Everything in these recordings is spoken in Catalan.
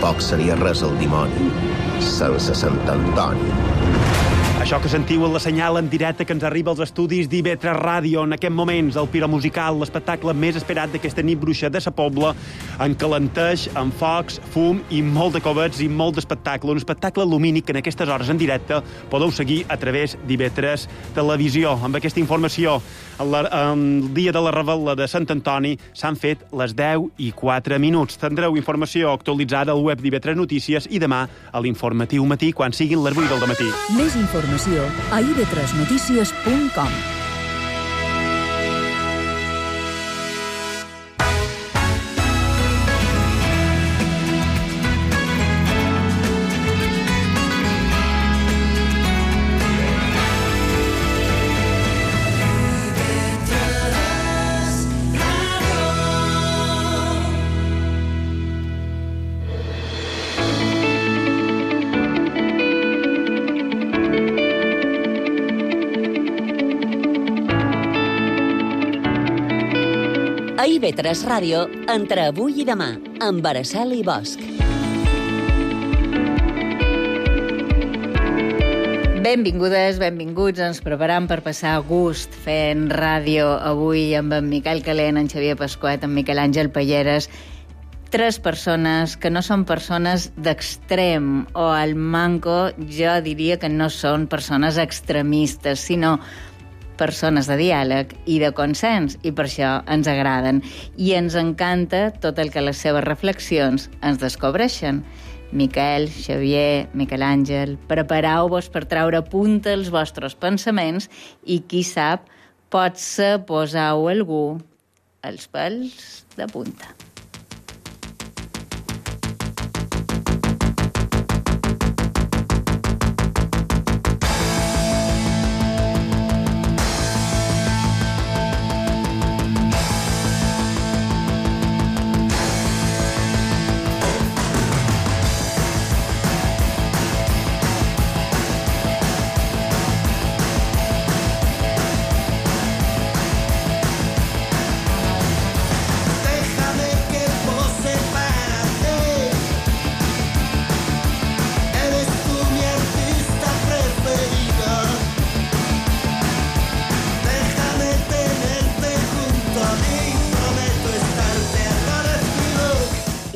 tampoc seria res el dimoni sense Sant Antoni. Això que sentiu en la senyal en directe que ens arriba als estudis d'IV3 Ràdio en aquests moments, el piromusical, l'espectacle més esperat d'aquesta nit bruixa de sa Pobla, encalenteix amb focs, fum i molt de covets i molt d'espectacle. Un espectacle lumínic que en aquestes hores en directe podeu seguir a través d'IV3 Televisió. Amb aquesta informació, el dia de la revetla de Sant Antoni s'han fet les 10:04. Tindreu informació actualitzada al web d'IV3 Notícies i demà a l'informatiu matí quan siguin les 8 del matí. Més informació a ib3noticias.com. A IV3 Ràdio, entre avui i demà, amb Araceli i Bosch. Benvingudes, benvinguts. Ens preparam per passar a gust fent ràdio avui amb en Miquel Calent, en Xavier Pasquet, en Miquel Àngel Palleres. 3 persones que no són persones d'extrem, o al manco jo diria que no són persones extremistes, sinó persones de diàleg i de consens, i per això ens agraden. I ens encanta tot el que les seves reflexions ens descobreixen. Miquel, Xavier, Miquel Àngel, prepareu-vos per treure a punta els vostres pensaments i, qui sap, potser poseu algú els pèls de punta.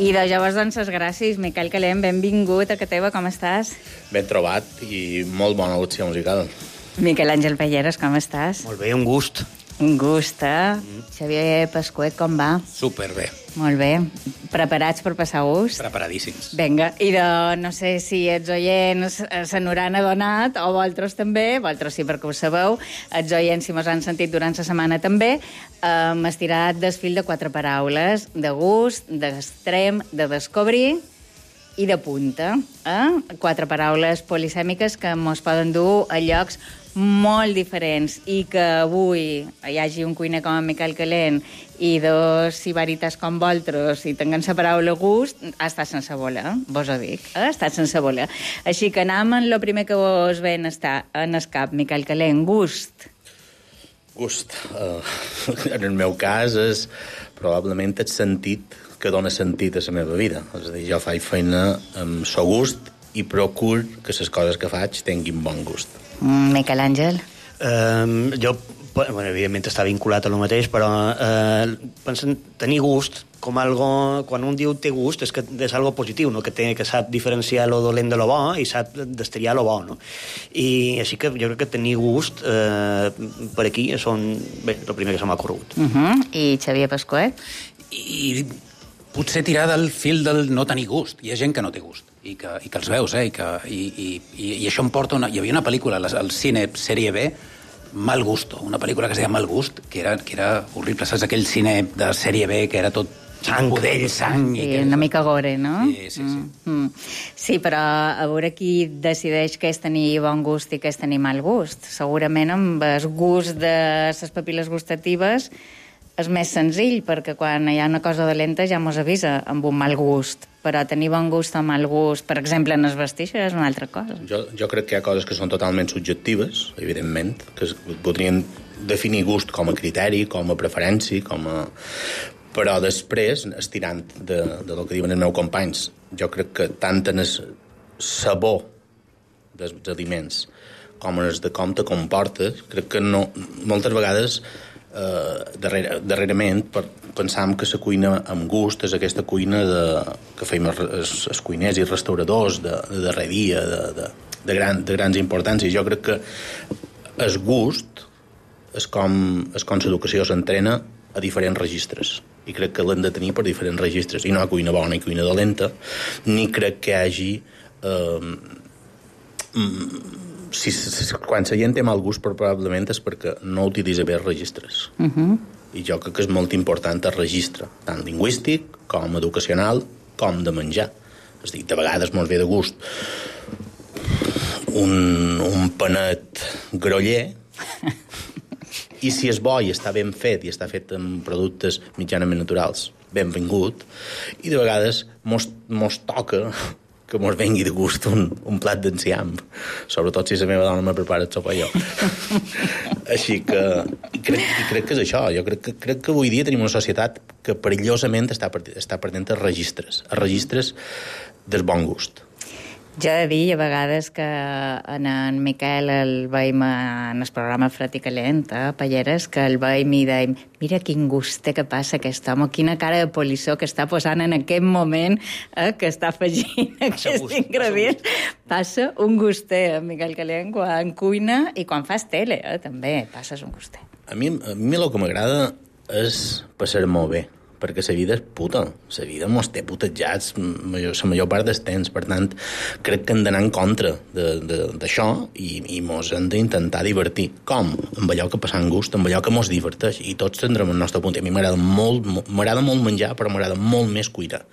I de llavors, doncs, gràcies, Miquel Calent, benvingut a casa teva, com estàs? Ben trobat i molt bona elecció musical. Miquel Àngel Palleres, com estàs? Molt bé, un gust. Un gust, eh? Xavier Pasquet, com va? Superbé. Molt bé. Preparats per passar gust? Preparadíssims. Vinga, i no sé si els oients se n'hauran adonat, o vosaltres també, vosaltres sí perquè ho sabeu, els oients si mos han sentit durant la setmana també, hem estirat del fil de 4 paraules, de gust, d'extrem, de descobrir i de punta. 4 paraules polisèmiques que mos poden dur a llocs molt diferents, i que avui hi hagi un cuiner com en Miquel Calent i 2 sibarites com vosaltres i tinguem la paraula gust, ha estat sense voler, vos ho dic, ha estat sense voler. Així que anem en el primer que vos ven estar en el cap, Miquel Calent, gust. Gust. En el meu cas és probablement el sentit que dona sentit a la meva vida. És a dir, jo faig feina amb so gust i procuro que les coses que faig tinguin bon gust. Miquel Àngel? Jo, bueno, evidentment està vinculat a lo mateix, però penso en tenir gust com algo... Quan un diu té gust és que és algo positiu, no? Que sap diferenciar lo dolent de lo bo i sap destriar lo bo, no? I així que jo crec que tenir gust per aquí són, bé, el primer que se m'ha corregut. I Xavier Pasquet? I potser tirar del fil del no tenir gust. Hi ha gent que no té gust i que els veus, i això em porta... Hi havia una pel·lícula al cine sèrie B, Mal Gusto, una pel·lícula que es deia Mal Gust, que era horrible, saps? Aquell cine de sèrie B que era tot sang, budell, sang... Sí, una mica gore, no? Sí. Sí, però a veure qui decideix què és tenir bon gust i què és tenir mal gust. Segurament amb el gust de les papil·les gustatives és més senzill, perquè quan hi ha una cosa dolenta ja mos avisa amb un mal gust. Però tenir bon gust o mal gust, per exemple, en es vestir, això és una altra cosa. Jo crec que hi ha coses que són totalment subjectives, evidentment, que podrien definir gust com a criteri, com a preferència, com a... Però després, estirant de lo que diuen els meus companys, jo crec que tant en el sabor dels aliments com en el de com te comportes, crec que no, moltes vegades darrerament pensam que la cuina amb gust és aquesta cuina que feim els cuiners i restauradors de darrer dia, de grans importàncies. Jo crec que el gust és com l'educació s'entrena a diferents registres, i crec que l'hem de tenir per diferents registres, i no hi ha cuina bona i cuina dolenta, ni crec que hi hagi quan la gent té mal gust probablement és perquè no utilitza bé els registres. I jo crec que és molt important el registre, tant lingüístic com educacional com de menjar. És a dir, de vegades mos ve de gust un panet groller, i si és bo i està ben fet i està fet amb productes mitjanament naturals, benvingut, i de vegades mos toca que mos vengui de gust un plat d'enciam, sobretot si la meva dona me prepara el sopar jo. Així que crec que és això. Jo crec que avui dia tenim una societat que perillosament està perdent els registres del bon gust. Jo he de dir a vegades que en Miquel el veiem en el programa Fred i Calent, a Palleres, que el veiem i dèiem mira quin gust té que passa aquest home, quina cara de polissó que està posant en aquest moment que està afegint aquest ingredient. Passa un guster, Miquel Calent, quan cuina i quan fas tele, també passes un guster. A mi el que m'agrada és passar molt bé, perquè la vida és puta. La vida mos té putejats la major part del temps. Per tant, crec que hem d'anar en contra d'això i mos hem d'intentar divertir. Com? Amb allò que passant gust, amb allò que mos diverteix. I tots tindrem el nostre punt. A mi m'agrada molt menjar, però m'agrada molt més cuinar.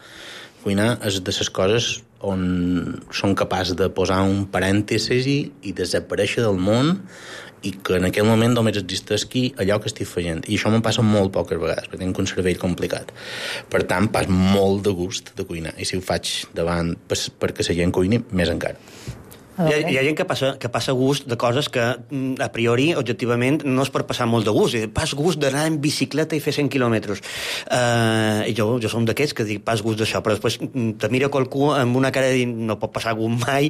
Cuinar és de les coses on som capaç de posar un parèntesi i desaparèixer del món, i que en aquell moment només existeixi allò que estic fent. I això me'n passa molt poques vegades, perquè tinc un cervell complicat. Per tant, pas molt de gust de cuinar. I si ho faig davant perquè la gent cuini, més encara. Hi ha gent que passa gust de coses que a priori, objectivament, no és per passar molt de gust. Pas gust d'anar en bicicleta i fer 100 quilòmetres. I jo som d'aquests que dic pas gust d'això, però després te mira qualcú amb una cara de dir no pot passar gust mai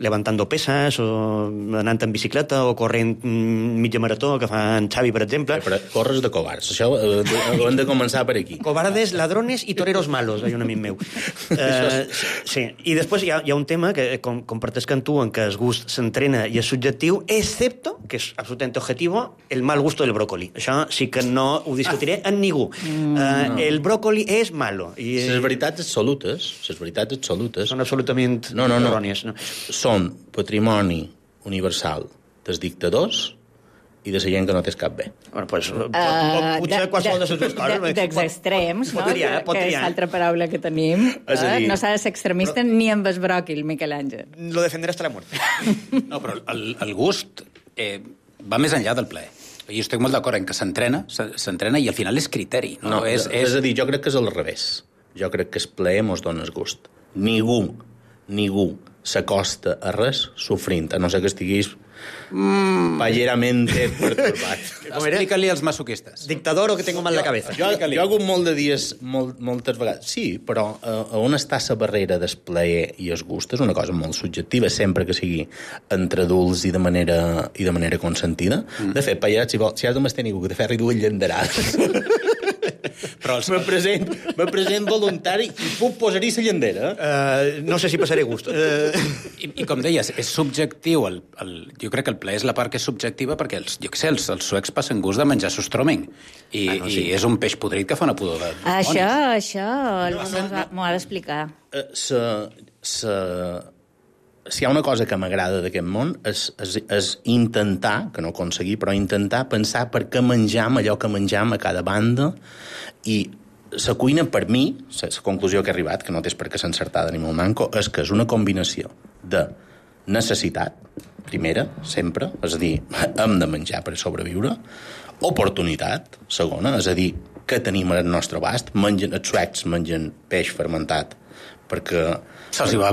levantando pesas o anant en bicicleta o corrent mitja marató que fa en Xavi, per exemple. Però corres de covards. Això ho hem de començar per aquí. Cobardes, ladrones i toreros malos, hay un amic meu. Sí. I després hi ha un tema que comparteix que en tu, en que el gust s'entrena i és subjectiu, excepto, que és absolutament objectiu, el mal gusto del brócoli. Això sí que no ho discutiré amb ningú. El brócoli és malo. Les veritats absolutes són absolutament errònies. No. Són patrimoni universal dels dictadors i de la gent que no té cap bé. Bueno, pues, potser qualsevol de les dues coses. Dels extrems, no? Pot triar. Que és l'altra paraula que tenim. No s'ha de ser extremista ni amb el bròquil, Miquel Àngel. Lo defenderé hasta la muerte. No, però el gust va més enllà del plaer. I estic molt d'acord en que s'entrena i al final és criteri. No, és a dir, jo crec que és al revés. Jo crec que el plaer mos dona el gust. Ningú s'acosta a res sofrint, a no ser que estiguis palleramente perturbat. Explica-li als masoquistes. Dictador o que tengo mal la cabeza. Jo he hagut molt de dies, moltes vegades. Sí, però on està la barrera del plaer i el gust és una cosa molt subjectiva, sempre que sigui entre adults i de manera consentida. De fet, pallet, si has de m'estar ningú que te fer dues llanderades. Però me present voluntari i puc posar-hi la llandera. No sé si passaré gust. I com deies, és subjectiu. Jo crec que el plaer és la part que és subjectiva perquè els suecs passen gust de menjar sostroming. I és un peix podrit que fa una pudor de dimonis. Això m'ho ha d'explicar. Si hi ha una cosa que m'agrada d'aquest món és intentar, que no aconseguir, però intentar pensar per què menjam allò que menjam a cada banda. I la cuina, per mi, la conclusió que he arribat, que no és perquè s'encertada ni molt manco, és que és una combinació de necessitat, primera, sempre, és a dir, hem de menjar per sobreviure, oportunitat, segona, és a dir, que tenim al nostre abast, els suecs mengen peix fermentat, perquè... Se'ls va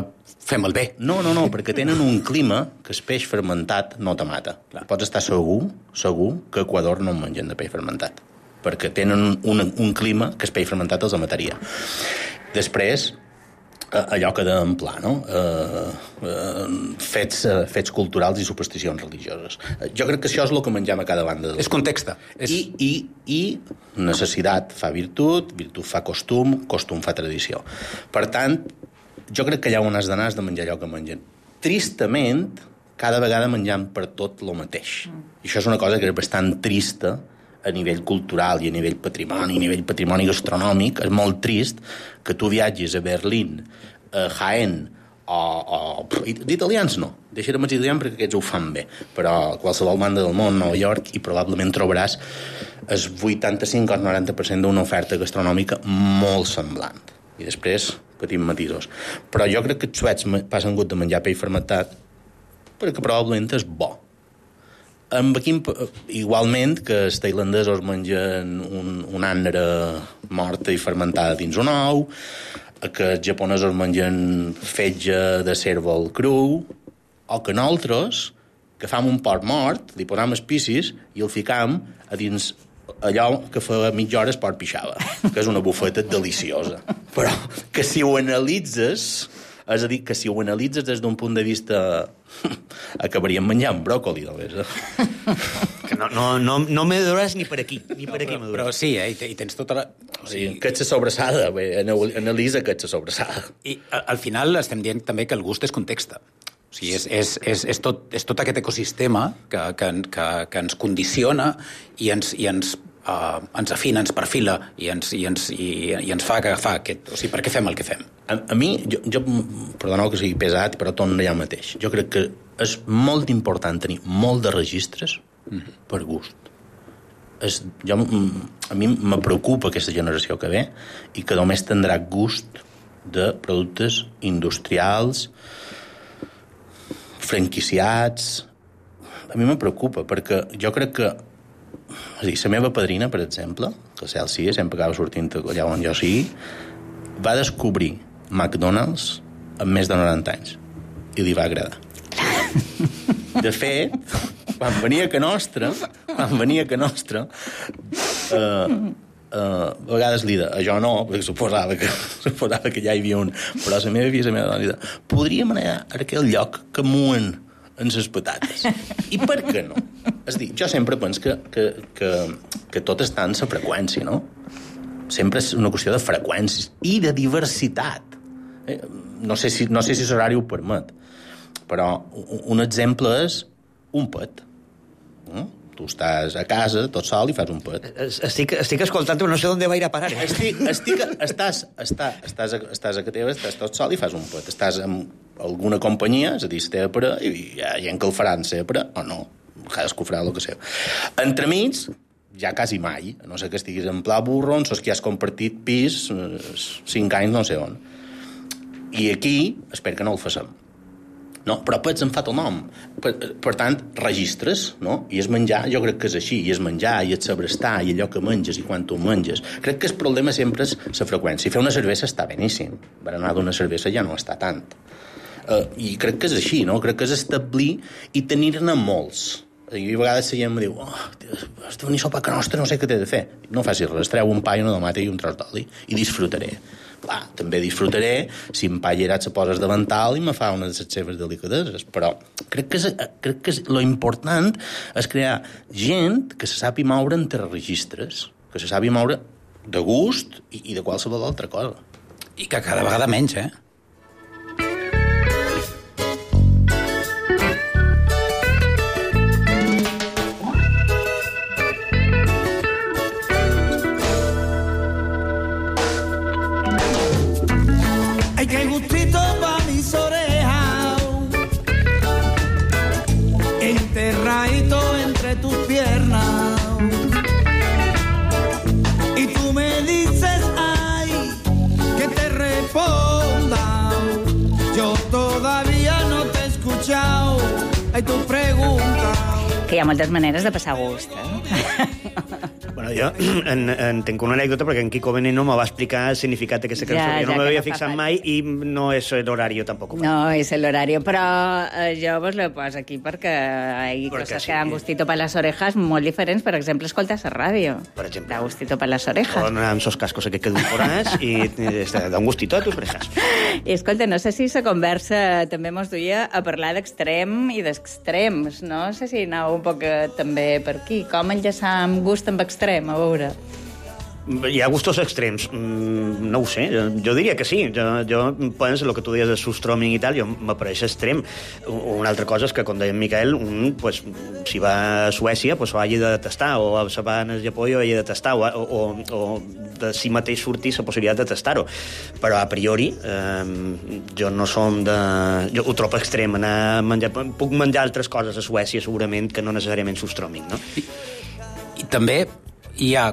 fer molt bé. No, perquè tenen un clima que el peix fermentat no te mata. Pots estar segur que a Equador no en mengen de peix fermentat. perquè tenen un clima que el peix fermentat els mataria. Després, allò que dèiem pla, no? Fets culturals i supersticions religioses. Jo crec que això és el que mengem a cada banda. És context. I necessitat fa virtut, virtut fa costum, costum fa tradició. Per tant, jo crec que allà on has d'anar has de menjar allò que mengen. Tristament, cada vegada menjam per tot el mateix. I això és una cosa que és bastant trista a nivell cultural i a nivell patrimoni gastronòmic. És molt trist que tu viatgis a Berlín, a Jaén, d'italians no, deixarem els italians perquè aquests ho fan bé, però a qualsevol banda del món, Nova York, i probablement trobaràs el 85 o el 90% d'una oferta gastronòmica molt semblant. I després patim matisos. Però jo crec que els suecs passen gust de menjar peix fermentat perquè probablement és bo. Igualment que els tailandesos mengen un ànera morta i fermentada dins un ou, que els japonesos mengen fetge de cérvol cru, o que nosaltres, que fam un porc mort, li posam espicis i el ficam a dins allò que fa mitja hora el porc pixava, que és una bufeta deliciosa. Però que si ho analitzes, és a dir, que si ho analitzes des d'un punt de vista acabaríem menjant bròcoli, Que no me duràs ni per aquí, m'aduràs. Però sí, i tens tota la... O sigui, que ets sobrassada, analitza que ets sobrassada. I al final estem dient també que el gust és context. O sigui, és tot aquest ecosistema que ens condiciona i ens afina, ens perfila i ens fa agafar aquest... O sigui, per què fem el que fem? A mi, jo perdoneu que sigui pesat, però torno allà mateix. Jo crec que és molt important tenir molt de registres per gust. A mi me preocupa aquesta generació que ve i que només tindrà gust de productes industrials, franquiciats. A mi me preocupa, perquè jo crec que... És a dir, la meva padrina, per exemple, que a Celsius sempre acaba sortint allà on jo sigui, va descobrir McDonald's amb més de 90 anys i li va agradar. De fet, quan venia a Nostra, a vegades li deia, jo no, perquè suposava que ja hi havia un, però la meva filla, la meva dona, li deia, podríem anar a aquell lloc que muen en les patates. I per què no? És a dir, jo sempre penso que tot està en la freqüència, no? Sempre és una qüestió de freqüències i de diversitat. No sé si l'horari ho permet, però un exemple és un pet. Tu estàs a casa, tot sol, i fas un pet. Estic escoltant, però no sé on va ir a parar. Estàs a casa teva, estàs tot sol i fas un pet. Estàs amb alguna companyia, és a dir, la teva parella, i hi ha gent que el faran la seva parella, o no. Cadascú farà el que seu. Entremig, ja quasi mai, a no sé que estiguis en pla burro, on sos que has compartit pis 5 anys no sé on. I aquí, espero que no el facem. No, però pets en fa el nom. Per tant, registres, no? I és menjar, jo crec que és així, i és menjar, i és saber estar, i allò que menges, i quan tu menges. Crec que el problema sempre és la freqüència. Fer una cervesa està beníssim. Berenar d'una cervesa ja no està tant. I crec que és així, no? Crec que és establir i tenir-ne molts. I a vegades la gent em diu, has de venir a sopar a Nostra, no sé què t'he de fer. No facis res, treu un pa i una tomata i un tros d'oli, i disfrutaré. Clar, també disfrutaré si en pa llerat se poses davantal i me fa una de les seves delicadeses, però crec que lo important és crear gent que se sàpiga moure entre registres, que se sàpiga moure de gust i de qualsevol altra cosa. I que cada vegada menys, Qué gustito pa' mis orejas, enterradito entre tus piernas. Y tú me dices, ay, que te responda. Yo todavía no te he escuchado, ay, tu pregunta. Que hi ha moltes maneres de passar gust, Bueno, Bueno, jo tenc una anècdota perquè en Kiko Veneno me va explicar el significat d'aquesta cançó. Jo no m'havia fixat mai i no és l'horari tampoc. No és l'horari, però jo vos lo poso aquí perquè hi ha coses que dan gustito per les orejas molt diferents. Per exemple, escoltar la ràdio. Per exemple. Da gustito per les orejas. Con esos cascos que queden forats i da un gustito a tus orejas. I escolta, no sé si la conversa també mos duia a parlar d'extrem i d'extrems. No sé si anava un poc també per aquí. Com enllaçar amb gust amb extrem, a veure. Hi ha gustos extrems. No ho sé, jo diria que sí. Jo penso, el que tu deies de Surströmming i tal, jo m'apareix extrem. Una altra cosa és que, com deia en Miquel, si va a Suècia, ho hagi de tastar, o si va al Japó ho hagi de tastar, o de si mateix sortir la possibilitat de tastar-ho. Però a priori, jo no som de... Jo ho trobo extrem, anar a menjar... Puc menjar altres coses a Suècia, segurament, que no necessàriament Surströmming, no? I també hi ha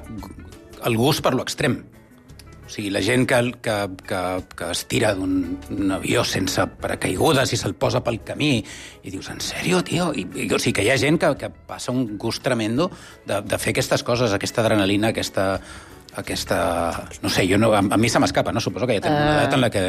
el gust per l'extrem. O sigui, la gent que es tira d'un avió sense paracaigudes i se'l posa pel camí i dius, en sèrio, tio? O sigui, que hi ha gent que passa un gust tremendo de fer aquestes coses, aquesta adrenalina, aquesta... No sé, a mi se m'escapa, no? Suposo que ja tenen una edat en la que...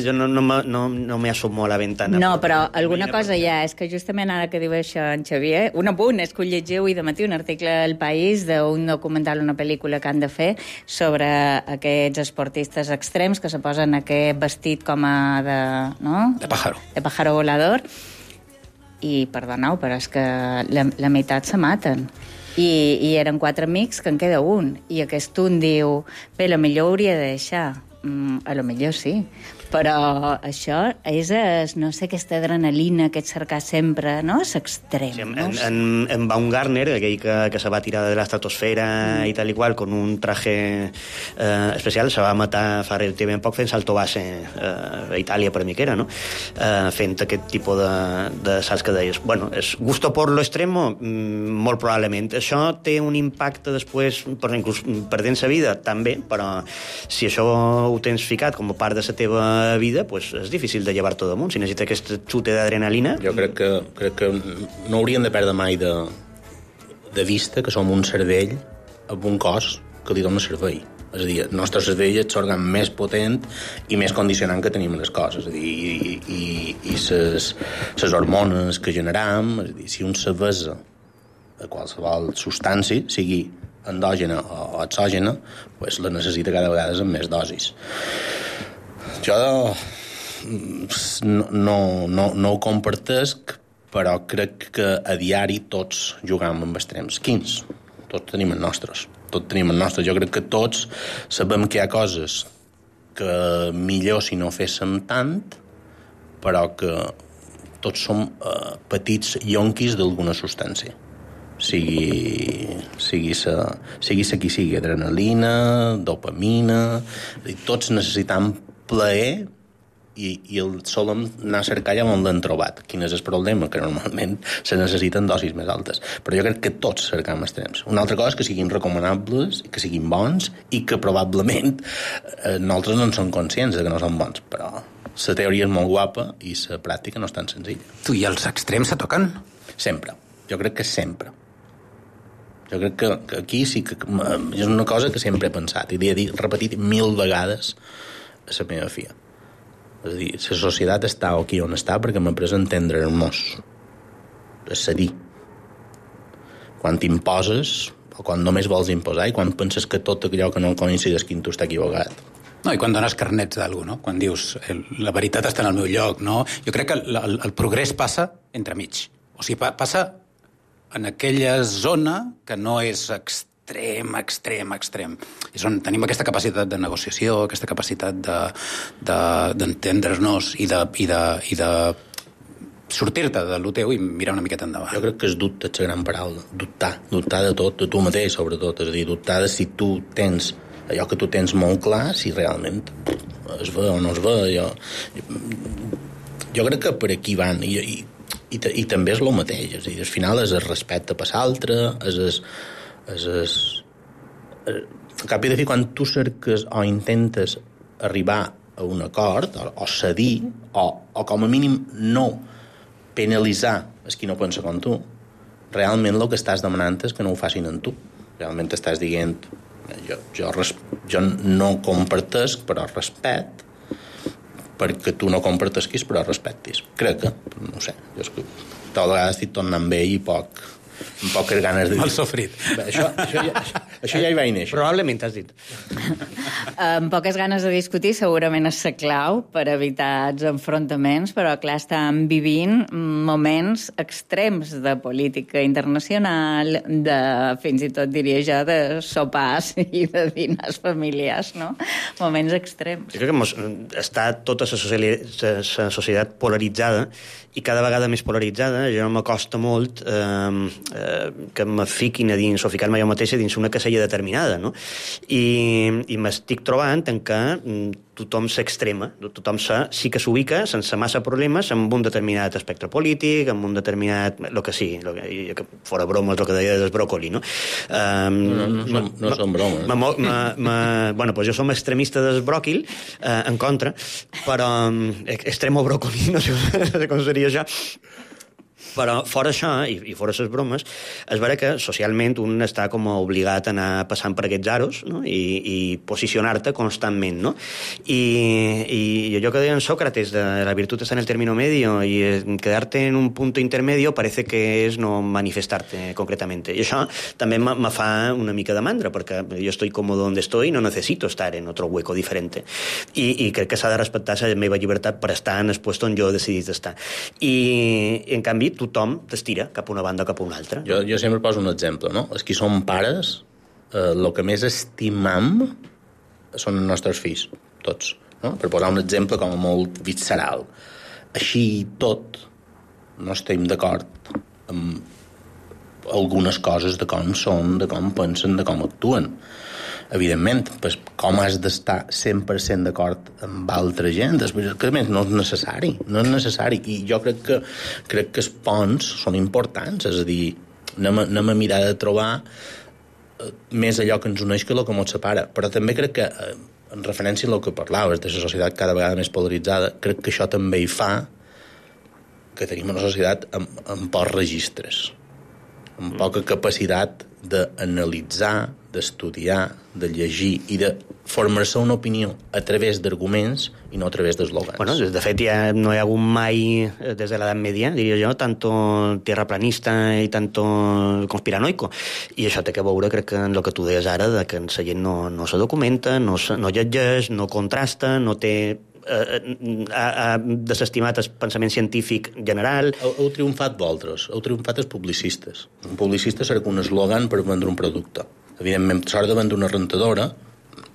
Jo no me asomo a la ventana. No, però alguna cosa hi ha. És que justament ara que diu això en Xavier, un apunt és que ho llegiu avui de matí un article al País d'un documental, una pel·lícula que han de fer sobre aquests esportistes extrems que se posen aquest vestit com a de... no? De pájaro. De pájaro volador. I, perdoneu, però és que la meitat se maten. I eren 4 amics que en queda un. I aquest un diu, bé, la millor hauria de deixar. A lo millor sí. Però això és, no sé, aquesta adrenalina, aquest cercar sempre, no? És extrem. Sí, en Baumgartner, aquell que se va tirar de l'estratosfera i tal i qual, con un traje especial, se va matar fa relativament poc fent salto base a Itàlia, per mi que era, no? Fent aquest tipus de salts que deies. Bueno, és gusto por lo extremo? Molt probablement. Això té un impacte després, inclús perdent sa vida, també, però si això ho tens ficat com a part de la teva vida, pues és difícil de llevar-t'ho damunt. Si necessita aquest xute d'adrenalina... Jo crec que no hauríem de perdre mai de vista que som un cervell amb un cos que li dona servei. És a dir, el nostre cervell és l'òrgan més potent i més condicionant que tenim les coses. És a dir, i les hormones que generam, és a dir, si un s'avesa a qualsevol substància, sigui endògena o exògena, pues la necessita cada vegada amb més dosis. Jo no ho compartesc, però crec que a diari tots jugam amb extrems. Quins? Tots tenim els nostres. Jo crec que tots sabem que hi ha coses que millor si no féssim tant, però que tots som petits yonquis d'alguna substància. Sigui qui sigui, adrenalina, dopamina... Tots necessitam plaer i el solem anar a cercar allà on l'hem trobat. Quin és el problema? Que normalment se necessiten dosis més altes. Però jo crec que tots cercam extrems. Una altra cosa és que siguin recomanables, que siguin bons i que probablement nosaltres no en som conscients de que no són bons, però la teoria és molt guapa i la pràctica no és tan senzilla. Tu, i els extrems se toquen? Sempre. Jo crec que sempre. Jo crec que aquí sí que és una cosa que sempre he pensat i l'he repetit 1000 vegades a la meva filla. És a dir, la societat està aquí on està perquè m'ha après a entendre-nos, a cedir. Quan t'imposes, o quan només vols imposar, i quan penses que tot allò que no coincideix que tu està equivocat. No, i quan dones carnets d'algú, no? Quan dius, la veritat està en el meu lloc, no? Jo crec que el progrés passa entremig. O sigui, passa en aquella zona que no és extrem. És on tenim aquesta capacitat de negociació, aquesta capacitat d'entendre'ns i de sortir-te de lo teu i mirar una miqueta endavant. Jo crec que és dubte, és la gran paraula. Dubtar de tot, de tu mateix, sobretot. És a dir, dubtar de si tu tens allò que tu tens molt clar, si realment es ve o no es ve. Jo crec que per aquí van, i també és el mateix. És a dir, al final és el respecte per l'altre, al cap i de fi, quan tu cerques o intentes arribar a un acord, o cedir, o com a mínim no penalitzar els qui no pensa com tu, realment el que estàs demanant és que no ho facin amb tu. realment estàs dient jo no compartesc, però respecte, perquè tu no compartesquis, però respectis. Crec que, no sé, jo és que tota vegada estic tornant vell i amb poques ganes de dir. Mal sofrit. Això ja hi va néixer. Probablement t'has dit. Amb poques ganes de discutir segurament és la clau per evitar els enfrontaments, però clar, estem vivint moments extrems de política internacional, de fins i tot diria jo de sopars i de dinars familiars, no? Moments extrems. Jo crec que està tota la societat polaritzada i cada vegada més polaritzada. Jo m'acosta molt que me fiquin a dins o ficar-me jo mateixa dins una casella determinada, no? I m'estic trobant en què tothom s'extrema, tothom sí que s'ubica sense massa problemes en un determinat espectre polític, en un determinat... el que sigui, fora bromes, el que deia del bròcoli, no? No són bromes. Bueno, doncs jo som extremista del bròquil, en contra, però extremo bròcoli, no sé com seria això. Però fora això, i fora les bromes, és vera que socialment un està com obligat a anar passant per aquests aros, no? I posicionar-te constantment, no? I allò que deia en Sócrates, de la virtud está en el término medio, y quedarte en un punto intermedio parece que és no manifestarte concretamente. I això també me fa una mica de mandra, perquè jo estoy cómodo donde estoy y no necesito estar en otro hueco diferente. I crec que s'ha de respectar la meva llibertat per estar en el puesto on jo he decidit estar. I, en canvi, tothom t'estira cap a una banda o cap a una altra. Jo sempre poso un exemple, no? Els que som pares, el que més estimam són els nostres fills, tots. No? Per posar un exemple com a molt visceral. Així i tot, no estem d'acord amb algunes coses de com són, de com pensen, de com actuen. Evidentment, pues, com has d'estar 100% d'acord amb altra gent? Que a més no és necessari. I jo crec que els ponts són importants, és a dir, anem a mirar de trobar més allò que ens uneix que el que ens separa. Però també crec que, en referència al que parlaves, de la societat cada vegada més polaritzada, crec que això també hi fa que tenim una societat amb pocs registres, amb poca capacitat d'analitzar, d'estudiar, de llegir i de formar-se una opinió a través d'arguments i no a través d'eslògans. Bueno, de fet, ja no hi ha hagut mai, des de l'edat media, diria jo, tanto terraplanista i tanto conspiranoico. I això té que veure, crec que, en el que tu deies ara, de que la gent no se documenta, no llegeix, no contrasta, no té... ha desestimat el pensament científic general. Heu triomfat vosaltres, heu triomfat els publicistes. Un publicista serà un eslògan per vendre un producte. Evidentment, s'ha de vendre una rentadora,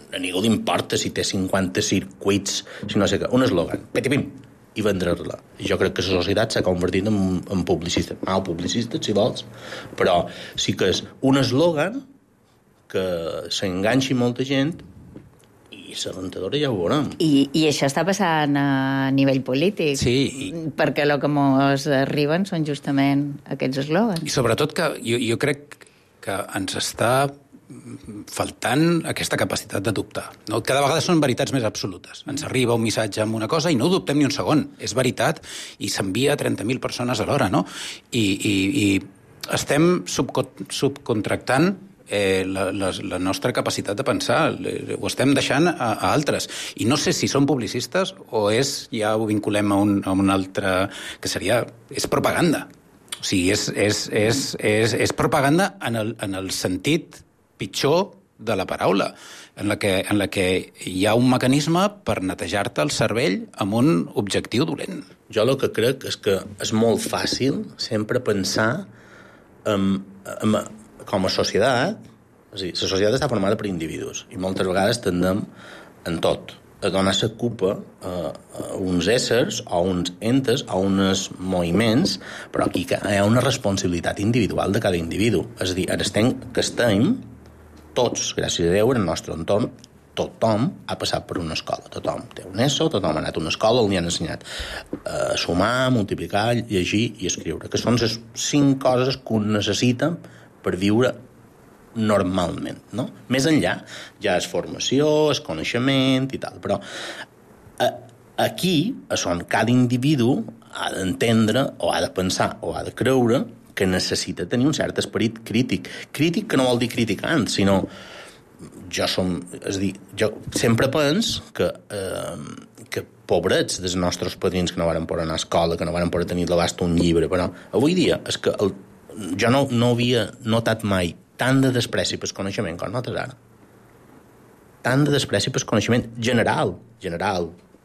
a ningú li importa si té 50 circuits, si no sé què, un eslògan, petipim, i vendre-la. I jo crec que la societat s'ha convertit en publicista. Publicista, si vols, però sí que és un eslògan que s'enganxi molta gent i la rentadora ja ho veurem. I això està passant a nivell polític. Sí. Perquè el que ens arriben són justament aquests eslògans. I sobretot que jo crec que ens està faltant aquesta capacitat de dubtar. No? Cada vegada són veritats més absolutes. Ens arriba un missatge amb una cosa i no ho dubtem ni un segon. És veritat i s'envia a 30.000 persones alhora, no? I estem subcontractant la nostra capacitat de pensar, ho estem deixant a altres. I no sé si són publicistes o ja ho vinculem a un altre, que seria... És propaganda. O sigui, és propaganda en el sentit pitjor de la paraula, en la que hi ha un mecanisme per netejar-te el cervell amb un objectiu dolent. Jo el que crec és que és molt fàcil sempre pensar com a societat, és a dir, la societat està formada per individus i moltes vegades tendem en tot a donar la culpa a uns éssers o uns entes o uns moviments, però aquí hi ha una responsabilitat individual de cada individu. És a dir, estem tots, gràcies a Déu, en el nostre entorn, tothom ha passat per una escola. Tothom té un ESO, tothom ha anat a una escola on li han ensenyat a sumar, multiplicar, llegir i escriure, que són les 5 coses que un necessita per viure normalment, no? Més enllà ja és formació, és coneixement i tal, però aquí és on cada individu ha d'entendre o ha de pensar o ha de creure que necessita tenir un cert esperit crític. Crític que no vol dir criticant, sinó... Jo sempre penso que pobrets dels nostres padrins que no varen poder anar a escola, que no varen poder tenir l'abast d'un llibre, però avui dia és que jo no havia notat mai tant de despreci pel coneixement com notes ara. Tant de despreci pel coneixement general,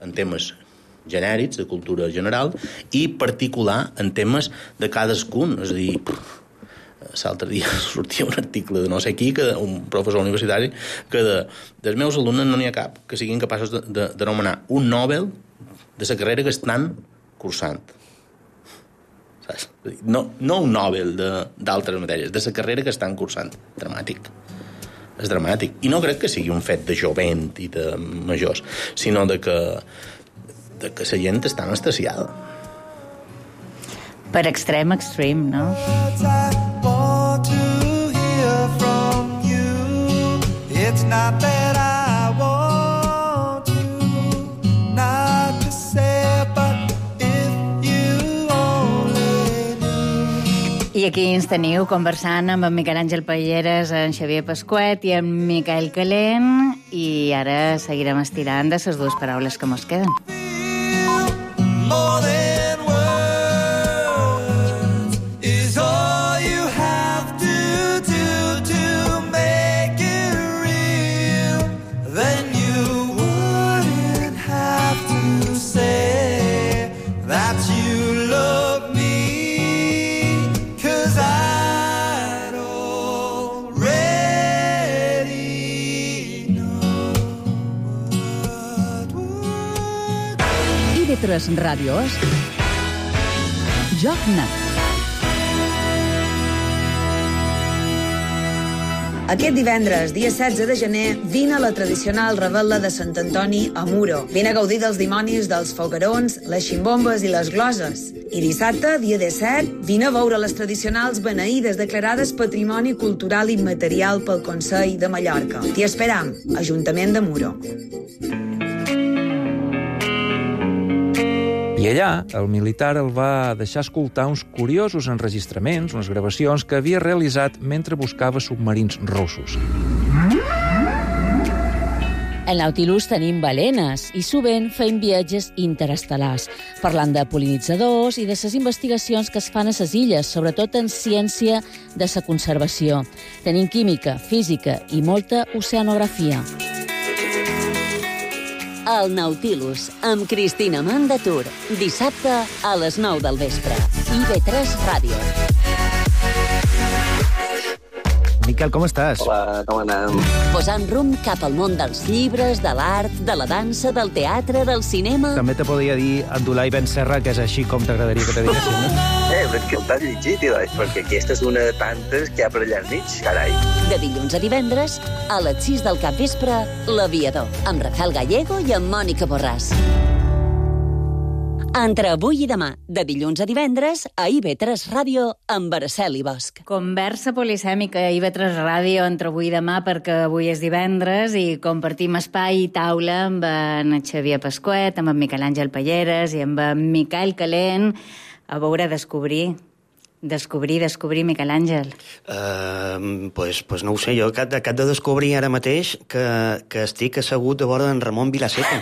en temes genèrics, de cultura general, i particular en temes de cadascun. És a dir, l'altre dia sortia un article de no sé qui, un professor universitari, que dels meus alumnes no n'hi ha cap que siguin capaços d'anomenar un Nobel de la carrera que estan cursant. Saps? No un Nobel d'altres matèries, de la carrera que estan cursant. Dramàtic. És dramàtic. I no crec que sigui un fet de jovent i de majors, sinó de que la gent està anestesiada. Per extrem, no? It's not that I want to not to say, but if you only knew. I aquí ens teniu conversant amb en Miquel Àngel Palleres, en Xavier Pasquet i en Miquel Calent, i ara seguirem estirant de les dues paraules que mos queden. More than words is all you have to do to make it real. Then you wouldn't have to say that you love me, 'cause I'd already know what would. IB3 Ràdio és Joc Net. Aquest divendres, dia 16 de gener, vine a la tradicional revetla de Sant Antoni a Muro. Vine a gaudir dels dimonis, dels foguerons, les ximbombes i les gloses. I dissabte, dia 17, vine a veure les tradicionals beneïdes declarades Patrimoni Cultural Immaterial pel Consell de Mallorca. T'hi esperam, Ajuntament de Muro. I allà, el militar el va deixar escoltar uns curiosos enregistraments, unes gravacions que havia realitzat mentre buscava submarins russos. Al Nautilus tenim balenes i sovint feim viatges interestel·lars, parlant de pol·linitzadors i de les investigacions que es fan a les illes, sobretot en ciència de la conservació. Tenim química, física i molta oceanografia. El Nautilus, amb Cristina Mandatur. Dissabte a les 9 del vespre. IB3 Ràdio. Miquel, com estàs? Hola, com anem? Posant rumb cap al món dels llibres, de l'art, de la dansa, del teatre, del cinema... També te podria dir Abdullah Ben Serra, que és així com t'agradaria que te diguessin, no? Però és que el t'has llegit, perquè aquesta és una de tantes que hi ha per allà enmig, carai. De dilluns a divendres, a les 6 del capvespre, L'Aviador, amb Rafael Gallego i amb Mònica Borràs. Entre avui i demà, de dilluns a divendres, a IB3 Ràdio, amb Araceli Bosch. Conversa polisèmica a IB3 Ràdio entre avui i demà, perquè avui és divendres i compartim espai i taula amb en Xavier Pasquet, amb en Miquel Àngel Palleres i amb en Miquel Calent, a veure, descobrir, Miquel Àngel. Pues no ho sé, jo acabo de descobrir ara mateix que estic assegut a vora d'en Ramon Vilaseca.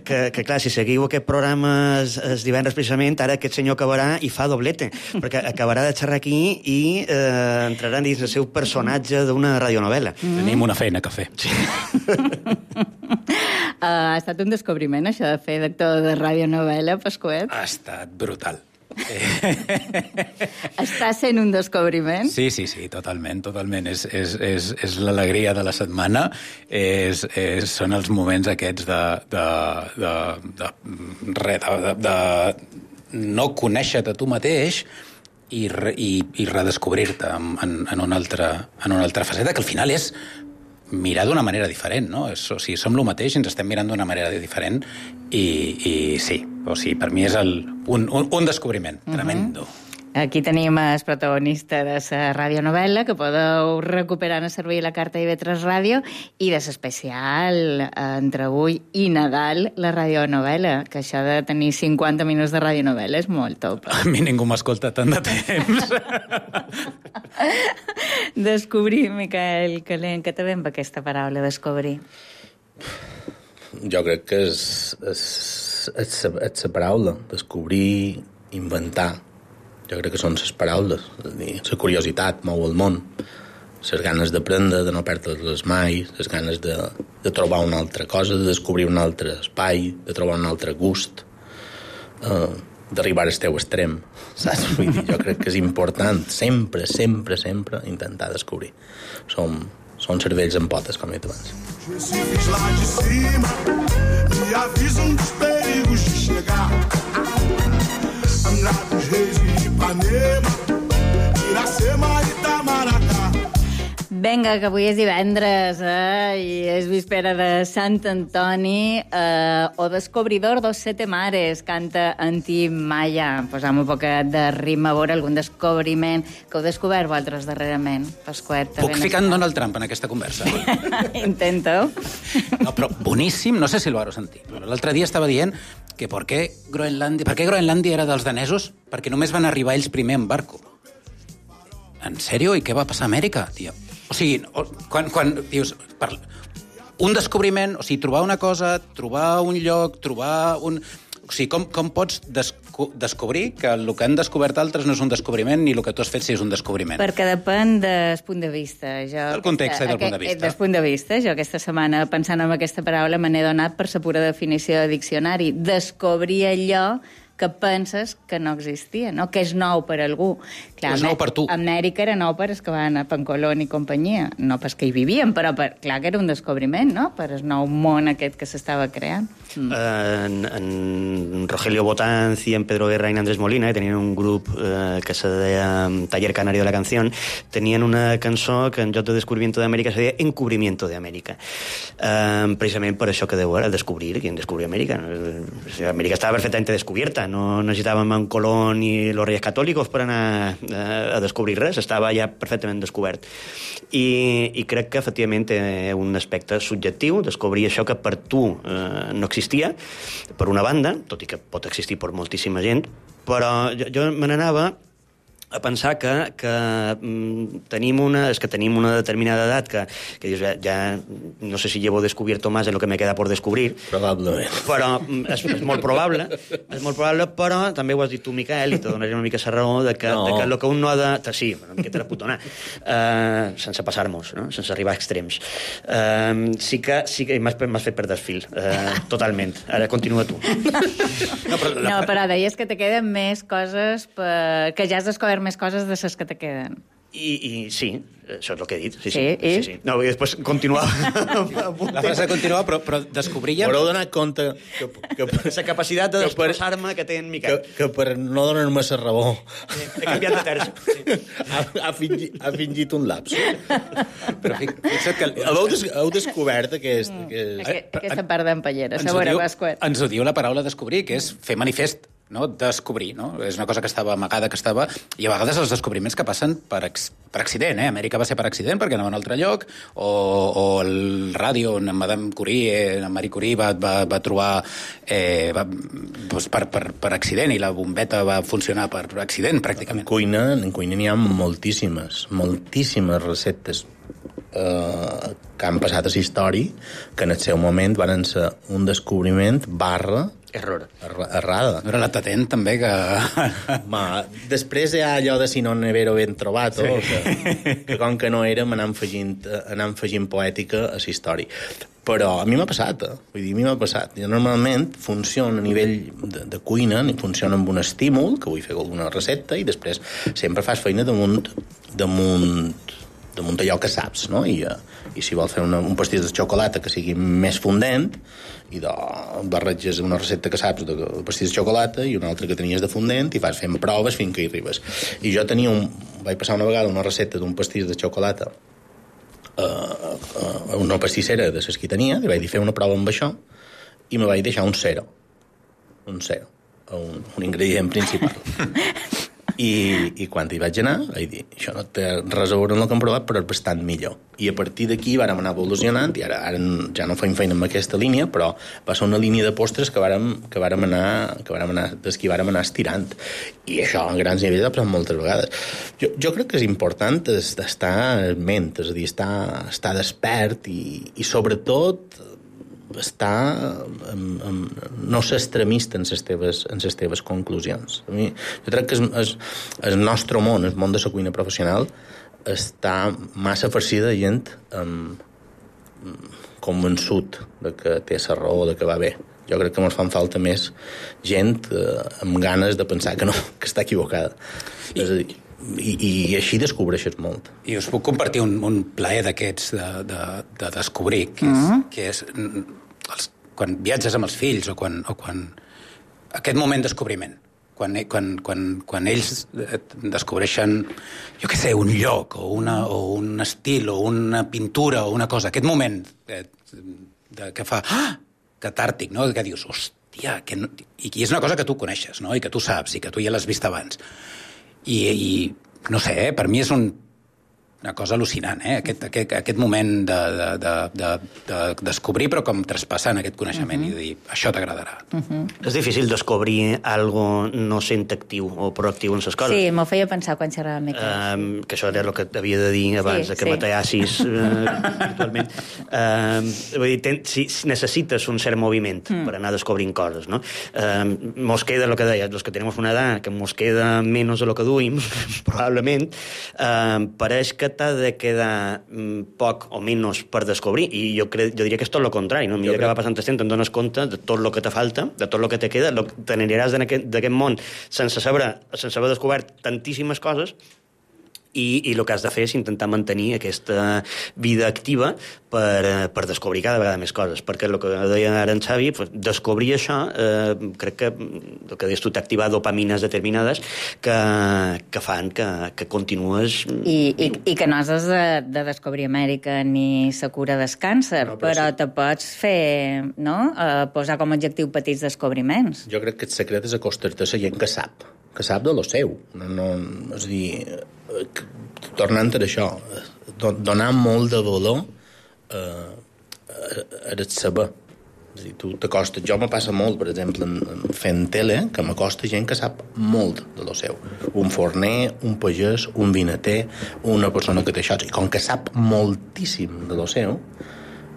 Que clar, si seguiu aquest programa els divendres precisament, ara aquest senyor acabarà i fa doblete, perquè acabarà de xerrar aquí i entrarà dins el seu personatge d'una radionovela. Tenim una feina que fer. Sí. Ha estat un descobriment, això de fer d'actor de radionovela, Pasquet? Ha estat brutal. Està sent un descobriment? Sí, totalment. És l'alegria de la setmana, són els moments aquests de no conèixer-te tu mateix i redescobrir-te en una altra faceta, que al final és mirar d'una manera diferent, no? O sigui, som el mateix i ens estem mirant d'una manera diferent i sí, o sigui, per mi és un descobriment tremendo. Aquí tenim el protagonista de la radionovel·la, que podeu recuperar en servir la carta d'IV3 Ràdio, i de l'especial entre avui i Nadal, la radionovel·la, que això de tenir 50 minuts de radionovel·la és molt top. A mi ningú m'escolta tant de temps. Descobrir, Miquel Calent, què te ve amb aquesta paraula, descobrir? Jo crec que és la paraula, descobrir, inventar. Jo crec que són les paraules. És a dir, la curiositat mou el món. Les ganes d'aprendre, de no perdre-les mai, les ganes de trobar una altra cosa, de descobrir un altre espai, de trobar un altre gust, d'arribar al teu extrem. Saps? Vull dir, jo crec que és important sempre, sempre, sempre intentar descobrir. Són cervells en potes, com he dit abans. Recifes lá de cima me avisam dos perigos de chegar. Angra dos Reis e Ipanema, Iracema e Itamaracá. Vinga, que avui és divendres, i és víspera de Sant Antoni, o descobridor dos sete mares, canta Antí Maya. Posam un poquet de ritme, a veure algun descobriment que heu descobert vosaltres darrerament. Pasquet, Puc ficar en Donald Trump en aquesta conversa? Intento. No, però boníssim, no sé si l'ho sentit. L'altre dia estava dient que per què Groenlàndia era dels danesos? Perquè només van arribar ells primer en barco. En sèrio? I què va passar a Amèrica, tio? O sigui, quan dius... Un descobriment, o sigui, trobar una cosa, trobar un lloc, trobar un... O sigui, com pots descobrir que el que han descobert altres no és un descobriment ni el que tu has fet si és un descobriment? Perquè depèn del punt de vista. Del context i del punt de vista. Del punt de vista. Jo aquesta setmana, pensant en aquesta paraula, me n'he donat per la pura definició de diccionari. Descobrir allò que penses que no existia, no? Que és nou per algú. Clar, és nou per tu. A Amèrica era nou per els que van a Pancolón i companyia. No pas que hi vivien, però clar que era un descobriment, no? Per el nou món aquest que s'estava creant. En Rogelio Botanz i en Pedro Guerra i en Andrés Molina, que tenien un grup que se deia Taller Canario de la Canción, tenien una cançó que en lloc de Descubrimiento de Amèrica se deia Encubrimiento de Amèrica. Precisament per això que deu era descobrir quién descubrió Amèrica. Amèrica estava perfectament descobierta, no necessitàvem en Colón i los Reyes Catòlicos per anar a descobrir res, estava ja perfectament descobert. I crec que efectivament té un aspecte subjectiu, descobrir això que per tu no existia, per una banda, tot i que pot existir per moltíssima gent, però jo me n'anava a pensar que tenim una determinada edat que dius, ja no sé si llevo descubierto más de lo que me queda por descobrir. Probablement. Però és molt probable, però també ho has dit tu, Miquel, i te donaré una mica la raó de que el que un no ha de... Sí, una miqueta de putona, sense passar-nos, no? Sense arribar a extrems. Sí que m'has fet perdre el fil, totalment. Ara continua tu. No, però deies que te queden més coses que ja has descobert més coses de les que te queden. I sí, això és el que he dit. Sí. No, i després continuava. La frase continua, però descobríem... M'haureu donat compte que la capacitat de desplaçar-me que té en Miquel. Que per no donar-me la raó he canviat de terç. ha fingit un lapso. Però fixa't que... Heu descobert aquesta part d'empalleres. Ens ho diu la paraula descobrir, que és fer manifest, no? Descobrir, no? És una cosa que estava amagada, i a vegades els descobriments que passen per accident, Amèrica va ser per accident perquè anava a un altre lloc, o el ràdio on Madame Curie, Marie Curie va trobar per accident, i la bombeta va funcionar per accident, pràcticament. En cuina n'hi ha moltíssimes receptes que han passat a la història que en el seu moment van ser un descobriment errada. No era la Tatent, també, que... Després hi ha allò de si no n'havero ben trobat, que com que no érem anant afegint poètica a la història. Però a mi m'ha passat, Jo normalment funciono a nivell de cuina, funciona amb un estímul, que vull fer alguna recepta, i després sempre fas feina damunt allò que saps, no? I si vols fer un pastís de xocolata que sigui més fondent, i barreges una recepta que saps de pastís de xocolata i una altra que tenies de fondent, i vas fent proves fins que hi arribes. I jo vaig passar una vegada una recepta d'un pastís de xocolata a una pastissera de les que tenia, i vaig dir fer una prova amb això, i me vaig deixar un 0, un ingredient principal. I quan hi vaig anar, vaig dir, això no té res a veure amb el que hem provat, però és bastant millor. I a partir d'aquí vàrem anar evolucionant, i ara ja no fem feina amb aquesta línia, però va ser una línia de postres que vàrem anar estirant. I això, a grans nivells, ha passat moltes vegades. Jo crec que és important estar en ment, és a dir, estar despert i sobretot no ser extremista en les teves conclusions. Jo crec que el nostre món, el món de la cuina professional, està massa farcida de gent convençut de que té la raó, de que va bé. Jo crec que ens fan falta més gent amb ganes de pensar que no, que està equivocada. És a dir, i així descobreixes molt. I us puc compartir un plaer d'aquests de descobrir, que és quan viatges amb els fills o quan aquest moment de descobriment, quan ells descobreixen, jo què sé, un lloc o un estil o una pintura o una cosa, aquest moment que fa catàrtic, no? Que dius, hòstia, i és una cosa que tu coneixes, no? I que tu saps i que tu ja l'has vist abans. I no sé, per mi és una cosa al·lucinant, aquest moment de descobrir, però com traspassant aquest coneixement i de dir, això t'agradarà. És difícil descobrir algo no sent actiu o proactiu en les coses. Sí, m'ho feia pensar quan xerrava amb que això era el que t'havia de dir abans que m'atallassis virtualment. Vull dir, si necessites un cert moviment per anar descobrint coses, no? Mos queda el que deies, los que tenemos una edad que mos queda menos de lo que duim, probablement, pareix que t'ha de quedar poc o menys per descobrir, i jo diria que és tot el contrari, no? A mesura que va passant el temps te'n dones compte de tot el que te falta, de tot el que te queda, t'aniràs d'aquest món sense haver descobert tantíssimes coses, i el que has de fer és intentar mantenir aquesta vida activa per descobrir cada vegada més coses, perquè el que deia ara en Xavi, descobrir això, crec que el que deies tu t'activa dopamines determinades que fan que continues... I que no has de descobrir Amèrica ni la cura del càncer, però te pots fer, no?, posar com a objectiu petits descobriments. Jo crec que el secret és acostar-te a la gent que sap de lo seu. És a dir, tornant a això, donar molt de valor a el saber. És a dir, tu t'acostes... Jo me passa molt, per exemple, fent tele, que m'acosta gent que sap molt de lo seu. Un forner, un pagès, un vinater, una persona que té això. I com que sap moltíssim de lo seu,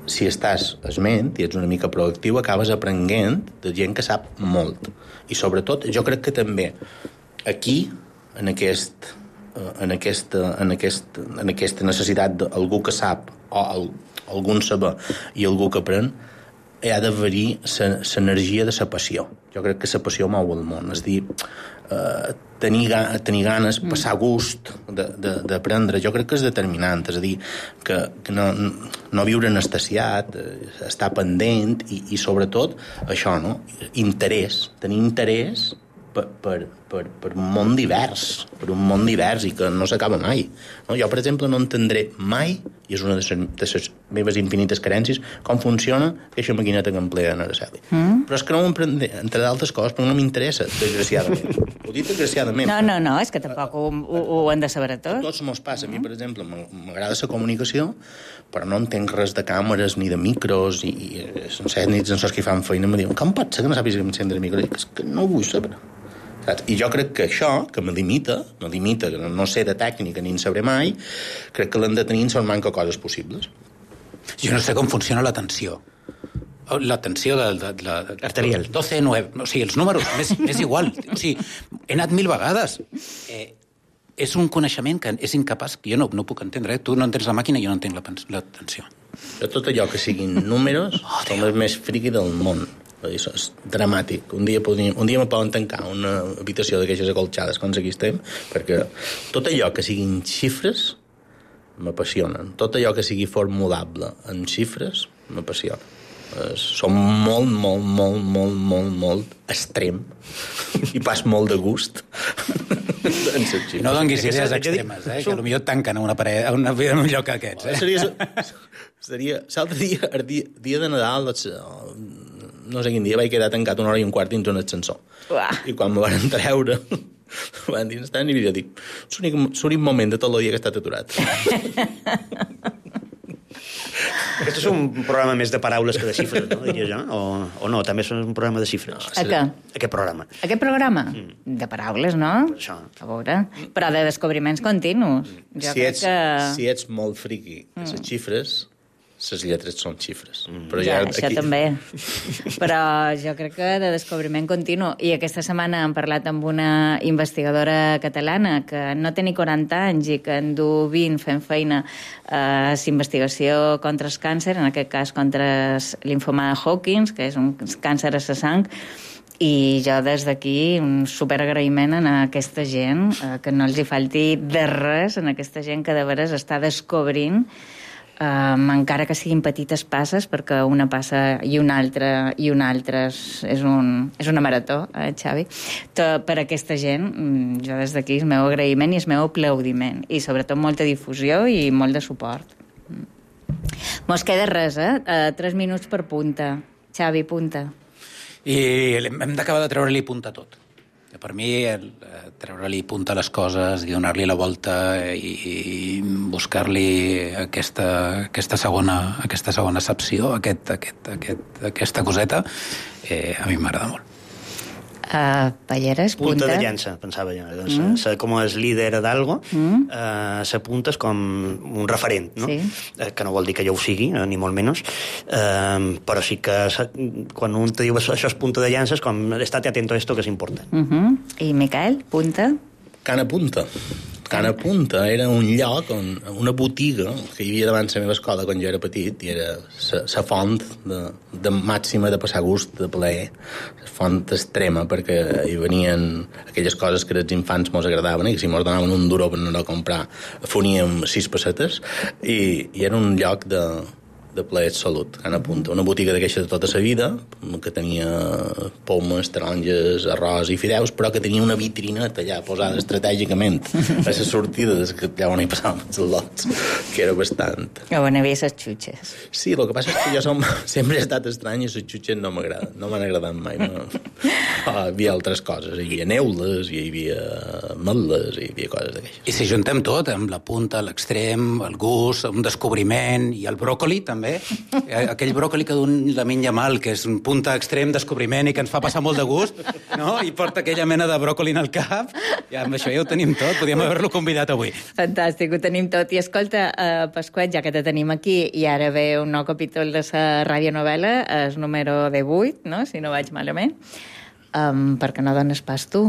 si estàs esment i ets una mica proactiu, acabes aprenent de gent que sap molt. I sobretot, jo crec que també aquí, en aquesta necessitat d'algú que sap o algun saber i algú que aprèn, hi ha d'haver-hi l'energia de la passió. Jo crec que la passió mou el món. És a dir, tenir ganes, passar gust d'aprendre, jo crec que és determinant. És a dir, que no viure anestesiat, estar pendent i sobretot això, no? Interès, tenir interès per un món divers, i que no s'acaba mai. No? Jo, per exemple, no entendré mai, i és una de les meves infinites carències, com funciona aquesta maquineta que emplea en Araceli. Però és que no m'emprendré, entre d'altres coses, però no m'interessa, desgraciadament. Ho dic desgraciadament. No, és que tampoc ho han de saber tot. A tots mos passa. A mi, per exemple, m'agrada la comunicació, però no entenc res de càmeres ni de micros, i sense nits en sos que fan feina em diuen, com pot ser que no sàpigues encendre micros? És que no ho vull saber. I jo crec que això, que me limita, que no sé de tècnica ni en sabré mai, crec que l'hem de tenir en manca coses possibles. Jo no sé com funciona l'atenció. L'atenció arterial. 12, 9, o sigui, els números, m'és igual. O sigui, he anat 1000 vegades. És un coneixement que és incapaç, que jo no puc entendre. Tu no entens la màquina i jo no entenc l'atenció. Tot allò que siguin números som els més friqui del món. Això és dramàtic. Un dia me poden tancar una habitació d'aquestes acolxades quan aquí estem, perquè tot allò que siguin xifres m'apassionen. Tot allò que sigui formulable en xifres m'apassiona. Som molt extrem i pas molt de gust. No donguis idees extremes, que potser et tanquen a un lloc aquests. Seria l'altre dia, el dia de Nadal, no sé quin dia, vaig quedar tancat 1 hora i un quart dins un ascensor. I quan me van treure, Van dir, estan i jo dic, l'únic moment de tot el dia que he estat aturat. Aquest és un programa més de paraules que de xifres, no? Diria jo, o no, també és un programa de xifres. A què? Aquest programa. Aquest programa? De paraules, no? Això. A veure. Però de descobriments continus. Si ets molt friqui de les xifres, les lletres són xifres. Però ja, això aquí... també. Però jo crec que de descobriment continu. I aquesta setmana hem parlat amb una investigadora catalana que no té ni 40 anys i que en du 20 fent feina a l'investigació contra el càncer, en aquest cas contra el linfoma de Hawkins, que és un càncer a la sang, i jo des d'aquí un superagraïment a aquesta gent, que no els hi falti de res, a aquesta gent que de veres està descobrint encara que siguin petites passes, perquè una passa i una altra és una marató, Xavi. Per aquesta gent, jo des d'aquí el meu agraïment i el meu aplaudiment, i sobretot molta difusió i molt de suport. Mos queda res, 3 minuts per punta. Xavi, punta. I hem d'acabar de treure-li punta a tot. Per mi, treure-li punta a les coses i donar-li la volta i buscar-li aquesta segona accepció, aquesta coseta, a mi m'agrada molt. Palleres, punta. Punta de llança, pensava jo. Doncs, com és líder d'algo, s'apunta com un referent, no? Sí. Que no vol dir que jo ho sigui, ni molt menys, però sí que quan un te diu això és punta de llança, és com estate atento a esto que és important. I Miquel, punta? Cana Punta. Cana Punta era un lloc, una botiga que hi havia davant la meva escola quan jo era petit, i era la font de màxima de passar gust, de plaer, la font extrema, perquè hi venien aquelles coses que als infants mos agradaven i que si mos donaven un duro per anar a comprar foníem 6 pessetes, i era un lloc de plaer absolut, Cana Punta. Una botiga d'aquesta de tota la vida, que tenia pomes, taronges, arròs i fideus, però que tenia una vitrineta allà posada estratègicament a les sortides, que allà on hi passàvem els lots, que era bastant... On hi havia les xutxes. Sí, el que passa és que jo sempre he estat estrany i les xutxes no m'agraden, no m'han agradat mai. No. Hi havia altres coses, hi havia neules, hi havia ametles, hi havia coses d'aquestes. I si juntem tot, amb la punta, l'extrem, el gust, un descobriment, i el bròcoli, també, aquell bròcoli que d'un la menja mal, que és un punta extrem, descobriment i que ens fa passar molt de gust, no? I porta aquella mena de bròcoli en el cap, i amb això ja ho tenim tot, podríem haver-lo convidat avui. Fantàstic, ho tenim tot. I escolta, Pasquet, ja que te tenim aquí, i ara ve un nou capítol de la radionovel·la, el número 18, no? Si no vaig malament, per què no dones pas tu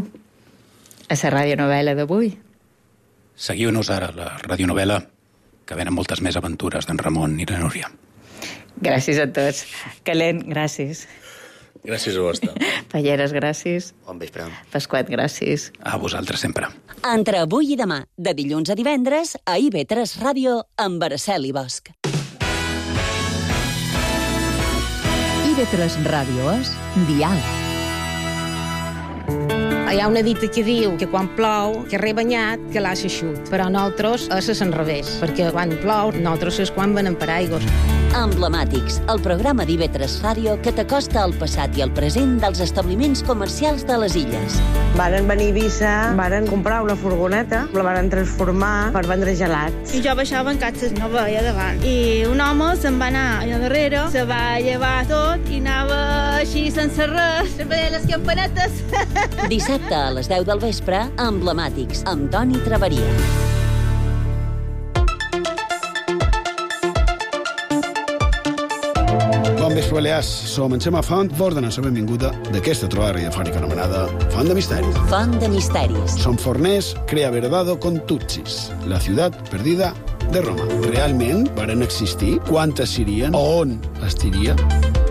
a la radionovel·la d'avui? Seguiu-nos ara, la radionovel·la, que venen moltes més aventures d'en Ramon i la Núria. Gràcies a tots. Calent, gràcies. Gràcies a vostè. Palleres, gràcies. Bon vespre. Pasquet, gràcies. A vosaltres sempre. Entre avui i demà, de dilluns a divendres, a IB3 Ràdio, amb Araceli Bosch. IB3 Ràdio és Dial. Hi ha una dita que diu que quan plou, que rebanyat, que l'ha eixut. Però nosaltres és al revés, perquè quan plou, nosaltres és quan venem per aigües. Emblemàtics, el programa d'IB3 Ràdio que t'acosta al passat i al present dels establiments comercials de les illes. Varen venir a Eivissa, varen comprar una furgoneta, la varen transformar per vendre gelats. I jo baixava en catxes, no veia davant. I un home se'n va anar allà darrere, se va llevar tot i anava així sense res, se veia les campanetes. Dissabte a les 10 del vespre, Emblemàtics, amb Toni Traveria. Bon vespre, Balears. Som en Xema Font, vos donem la benvinguda d'aquesta trobada radiofònica anomenada Font de Misteris. Font de Misteris. Som forners, crea verdado con Tutsis, la ciutat perdida de Roma. Realment varen existir? Quantes serien? On estiria?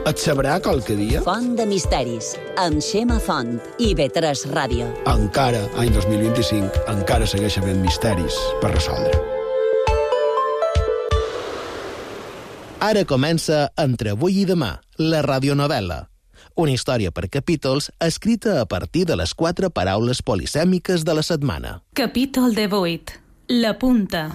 Et sabrà qualque dia? Font de Misteris, amb Xema Font, IB3 Ràdio. Encara, any 2025, encara segueix havent misteris per resoldre. Ara comença Entre avui i demà, la radionovel·la. Una història per capítols escrita a partir de les 4 paraules polisèmiques de la setmana. Capítol 18. La punta.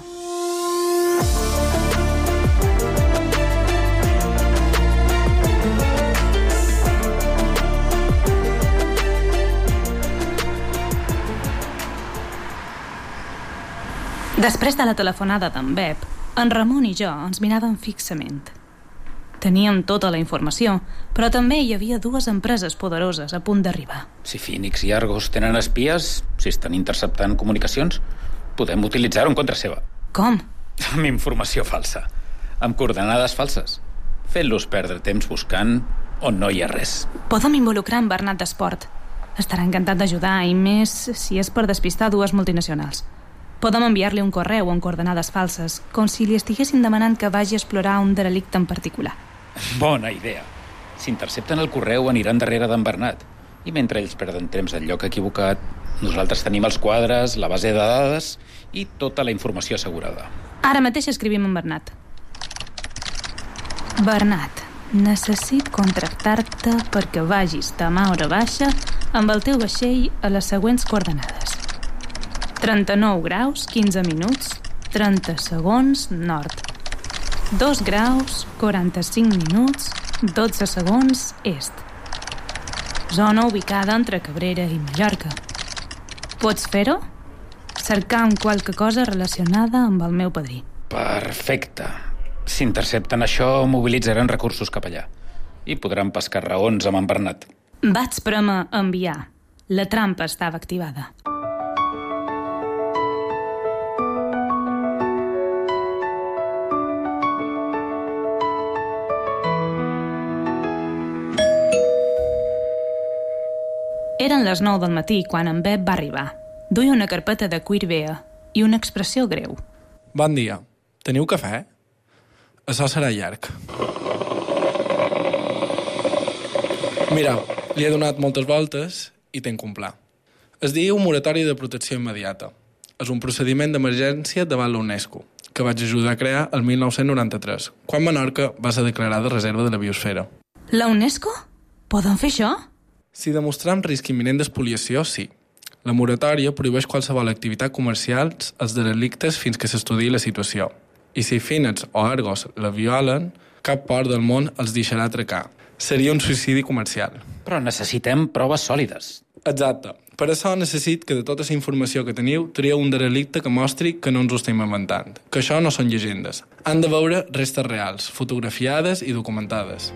Després de la telefonada d'en Bep, en Ramon i jo ens miràvem fixament. Teníem tota la informació, però també hi havia dues empreses poderoses a punt d'arribar. Si Phoenix i Argos tenen espies, si estan interceptant comunicacions, podem utilitzar-ho en contra seva. Com? Amb informació falsa, amb coordenades falses, fent-los perdre temps buscant on no hi ha res. Podem involucrar en Bernat d'Esport. Estarà encantat d'ajudar, i més si és per despistar dues multinacionals. Podem enviar-li un correu amb coordenades falses, com si li estiguessin demanant que vagi a explorar un derelicte en particular. Bona idea. Si intercepten el correu aniran darrere d'en Bernat. I mentre ells perden temps al lloc equivocat, nosaltres tenim els quadres, la base de dades i tota la informació assegurada. Ara mateix escrivim en Bernat. Bernat, necessit contractar-te perquè vagis demà a hora baixa amb el teu vaixell a les següents coordenades. 39 graus, 15 minuts, 30 segons, nord. 2 graus, 45 minuts, 12 segons, est. Zona ubicada entre Cabrera i Mallorca. Pots fer-ho? Cercar amb qualque cosa relacionada amb el meu padrí. Perfecte. Si intercepten això, mobilitzaran recursos cap allà. I podran pescar raons amb en Bernat. Vaig prémer enviar. La trampa estava activada. Eren les 9 del matí quan en Bep va arribar. Duia una carpeta de cuir vea i una expressió greu. Bon dia. Teniu cafè? Això serà llarg. Mireu, li he donat moltes voltes i tenc un pla. Es diu moratori de protecció immediata. És un procediment d'emergència davant la UNESCO, que vaig ajudar a crear el 1993, quan Menorca va ser declarada reserva de la biosfera. La UNESCO? Poden fer això? Si demostram risc imminent d'espoliació, sí. La moratòria prohibeix qualsevol activitat comercial als derelictes fins que s'estudiï la situació. I si Phoenix o Argos la violen, cap port del món els deixarà atracar. Seria un suïcidi comercial. Però necessitem proves sòlides. Exacte. Per això necessit que de tota la informació que teniu trieu un derelicte que mostri que no ens ho estem inventant, que això no són llegendes. Han de veure restes reals, fotografiades i documentades.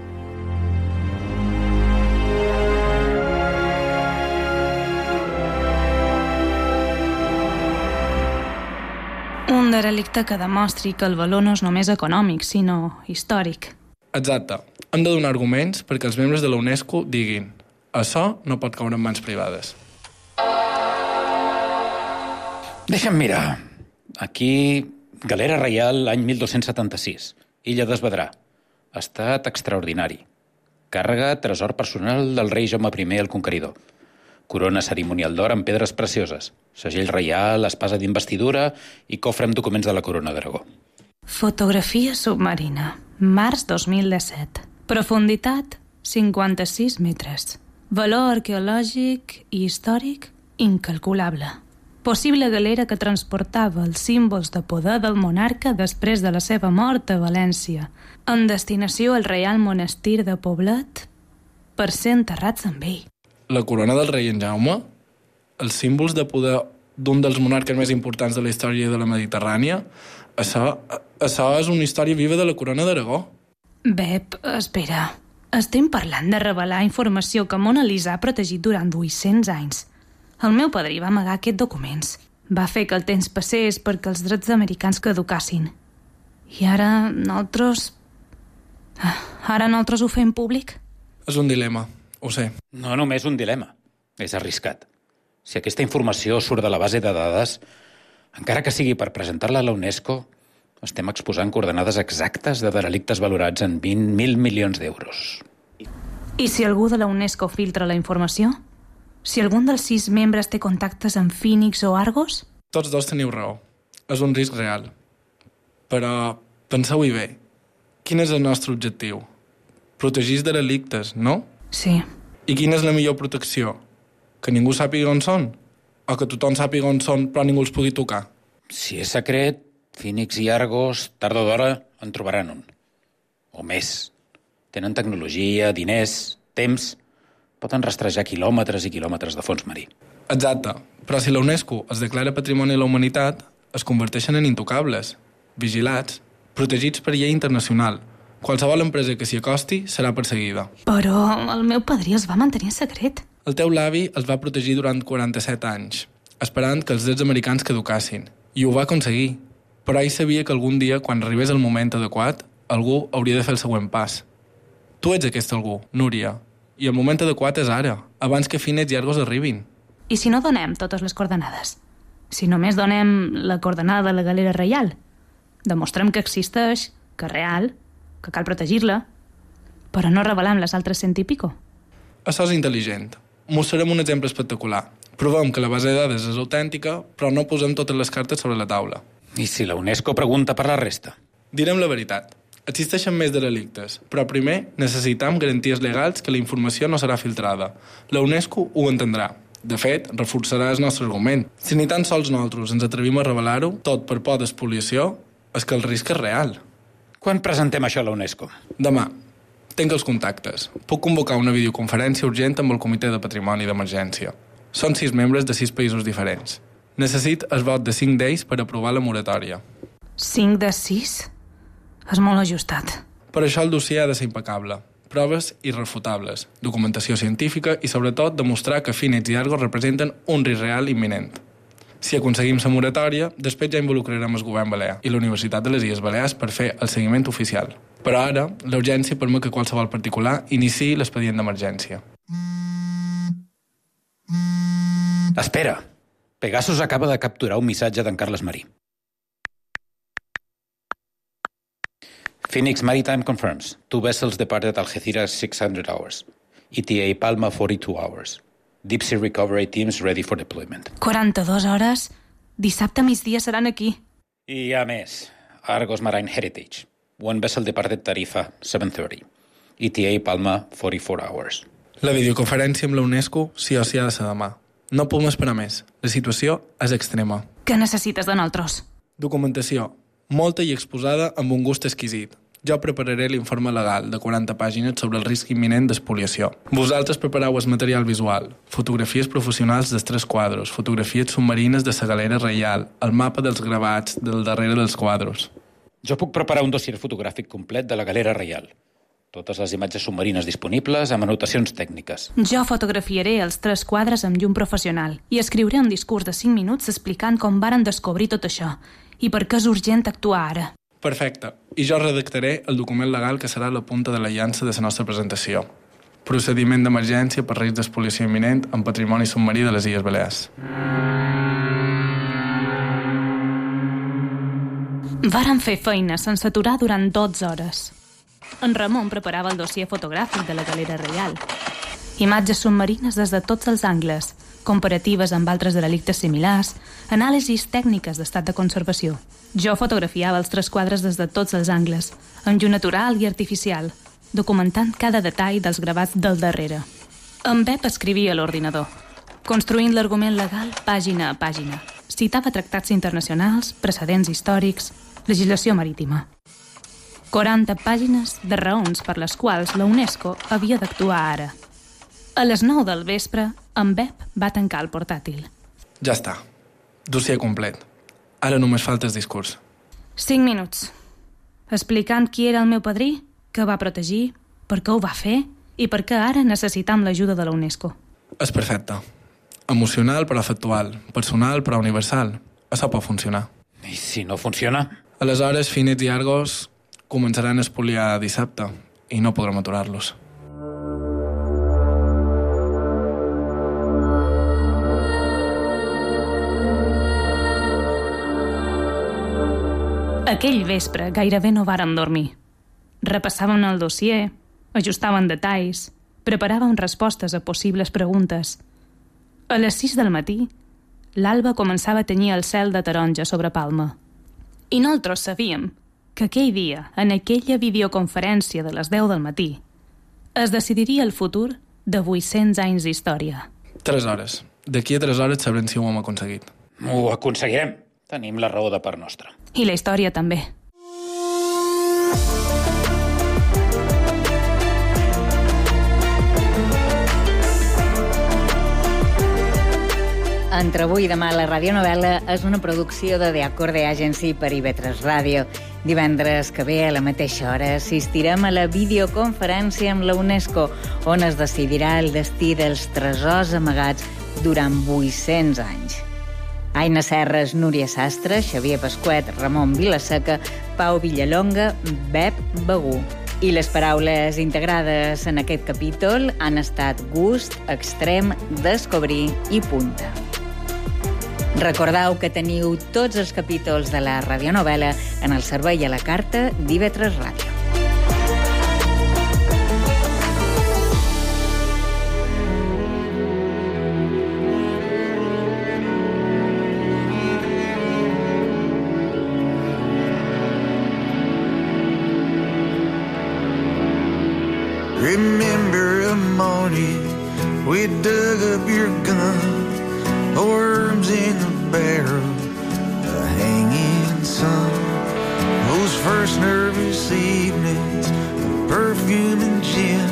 Un derelicte que demostri que el valor no és només econòmic, sinó històric. Exacte. Hem de donar arguments perquè els membres de la UNESCO diguin això no pot caure en mans privades. Deixa'm mirar. Aquí, Galera Reial, any 1276. Illa d'Esvedrà. Estat extraordinari. Càrrega, tresor personal del rei Jaume I el Conqueridor. Corona cerimonial d'or amb pedres precioses. Segell reial, espasa d'investidura i cofre amb documents de la Corona d'Aragó. Fotografia submarina. Març 2017. Profunditat 56 metres. Valor arqueològic i històric incalculable. Possible galera que transportava els símbols de poder del monarca després de la seva mort a València, en destinació al Reial Monestir de Poblet, per ser enterrats amb ell. La corona del rei en Jaume, els símbols de poder d'un dels monarques més importants de la història de la Mediterrània, això és una història viva de la corona d'Aragó. Bep, espera. Estem parlant de revelar informació que Mona Lisa ha protegit durant 800 anys. El meu padrí va amagar aquests documents. Va fer que el temps passés perquè els drets americans caducassin. I ara nosaltres ho fem públic? És un dilema, ho sé. No només un dilema. És arriscat. Si aquesta informació surt de la base de dades, encara que sigui per presentar-la a la UNESCO, estem exposant coordenades exactes de derelictes valorats en 20.000 milions d'euros. I si algú de la UNESCO filtra la informació? Si algun dels 6 membres té contactes amb Phoenix o Argos? Tots dos teniu raó. És un risc real. Però penseu-hi bé. Quin és el nostre objectiu? Protegir els derelictes, no? Sí. I quina és la millor protecció? Que ningú sàpiga on són? O que tothom sàpiga on són però ningú els pugui tocar? Si és secret, Phoenix i Argos, tard o d'hora, en trobaran un. O més. Tenen tecnologia, diners, temps. Poden rastrejar quilòmetres i quilòmetres de fons marí. Exacte. Però si la UNESCO es declara Patrimoni de la Humanitat, es converteixen en intocables, vigilats, protegits per llei internacional. Qualsevol empresa que s'hi acosti serà perseguida. Però el meu padrí els va mantenir en secret. El teu l'avi els va protegir durant 47 anys, esperant que els drets americans caducassin. I ho va aconseguir. Però ell sabia que algun dia, quan arribés el moment adequat, algú hauria de fer el següent pas. Tu ets aquest algú, Núria, i el moment adequat és ara, abans que Finets i Argos arribin. I si no donem totes les coordenades? Si només donem la coordenada de la Galera Reial? Demostrem que existeix, que és real, que cal protegir-la, però no revelem les altres 100 i pico. Això és intel·ligent. Mostrarem un exemple espectacular. Provem que la base de dades és autèntica, però no posem totes les cartes sobre la taula. I si la UNESCO pregunta per la resta? Direm la veritat. Existeixen més delictes, però primer necessitem garanties legals que la informació no serà filtrada. La UNESCO ho entendrà. De fet, reforçarà el nostre argument. Si ni tan sols nosaltres ens atrevim a revelar-ho, tot per por d'espoliació, és que el risc és real. Quan presentem això a la UNESCO? Demà. Tenc els contactes. Puc convocar una videoconferència urgent amb el Comitè de Patrimoni d'Emergència. Són 6 membres de 6 països diferents. Necessit el vot de 5 d'ells per aprovar la moratòria. 5 de 6? És molt ajustat. Per això el dossier ha de ser impecable. Proves irrefutables, documentació científica i, sobretot, demostrar que Finets i Argos representen un risc real imminent. Si aconseguim la moratòria, després ja involucrarem el govern balear i la Universitat de les Illes Balears per fer el seguiment oficial. Però ara, la urgència permet que qualsevol particular iniciï l'expedient d'emergència. Espera! Pegasus acaba de capturar un missatge d'en Carles Marí. Phoenix Maritime confirms. 2 vessels departed Algeciras 600 hours. ETA Palma 42 hours. Deep Sea Recovery teams ready for deployment. 42 hores? Dissabte a migdia seran aquí. I a més, Argos Marine Heritage. 1 vessel departed Tarifa 7:30. ETA Palma 44 hours. La videoconferència amb la UNESCO sí o sí ha de ser demà. No podem esperar més. La situació és extrema. Què necessites de nosaltres? Documentació. Molta i exposada amb un gust exquisit. Jo prepararé l'informe legal de 40 pàgines sobre el risc imminent d'espoliació. Vosaltres prepareu el material visual, fotografies professionals dels 3 quadros, fotografies submarines de la Galera Reial, el mapa dels gravats del darrere dels quadros. Jo puc preparar un dossier fotogràfic complet de la Galera Reial. Totes les imatges submarines disponibles amb anotacions tècniques. Jo fotografiaré els 3 quadres amb llum professional i escriuré un discurs de 5 minuts explicant com varen descobrir tot això i per què és urgent actuar ara. Perfecte. I jo redactaré el document legal que serà la punta de la llança de la nostra presentació. Procediment d'emergència per risc d'espoliació imminent en patrimoni submarí de les Illes Balears. Varen fer feina sense aturar durant 12 hores. En Ramon preparava el dossier fotogràfic de la Galera Reial. Imatges submarines des de tots els angles, comparatives amb altres delictes similars, anàlisis tècniques d'estat de conservació. Jo fotografiava els 3 quadres des de tots els angles, amb llum natural i artificial, documentant cada detall dels gravats del darrere. En Pep escrivia a l'ordinador, construint l'argument legal pàgina a pàgina. Citava tractats internacionals, precedents històrics, legislació marítima. 40 pàgines de raons per les quals la UNESCO havia d'actuar ara. A les 9 del vespre, en Pep va tancar el portàtil. Ja està. Dossier complet. Ara només falta el discurs. 5 minuts. Explicant qui era el meu padrí, què va protegir, per què ho va fer i per què ara necessitam l'ajuda de la UNESCO. És perfecte. Emocional però factual. Personal però universal. Això pot funcionar. I si no funciona? Aleshores, Finets i Argos començaran a espoliar dissabte i no podrem aturar-los. Aquell vespre gairebé no vàrem dormir. Repassàvem el dossier, ajustàvem detalls, preparàvem respostes a possibles preguntes. A les 6 del matí, l'alba començava a tenyir el cel de taronja sobre Palma. I nosaltres sabíem que aquell dia, en aquella videoconferència de les 10 del matí, es decidiria el futur de 800 anys d'història. 3 hores. D'aquí a 3 hores sabrem si ho hem aconseguit. Ho aconseguirem. Tenim la raó de part nostra. I la història també. Entre avui i demà la radionovel·la és una producció de The Acorde Agency per IB3 Ràdio. Divendres que ve, a la mateixa hora, assistirem a la videoconferència amb la UNESCO, on es decidirà el destí dels tresors amagats durant 800 anys. Aina Serres, Núria Sastre, Xavier Pasquet, Ramon Vilaseca, Pau Villalonga, Bep Begú. I les paraules integrades en aquest capítol han estat gust, extrem, descobrir i punta. Recordeu que teniu tots els capítols de la radionovel·la en el servei a la carta d'IB3 Ràdio. Remember a morning we dug up your gun, the worms in the barrel, the hanging sun. Those first nervous evenings of perfume and gin,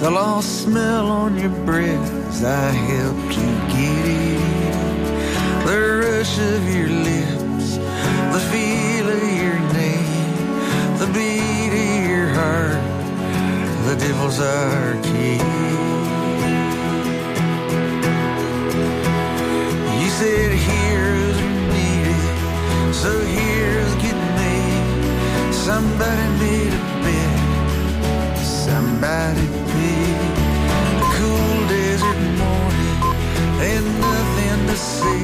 the lost smell on your breath as I helped you get it in. The rush of your lips, the feel of your name, the beat of your heart, the devil's our key. You said heroes are needed, so heroes get made. Somebody made a bet, somebody paid. A cool desert morning, and nothing to say.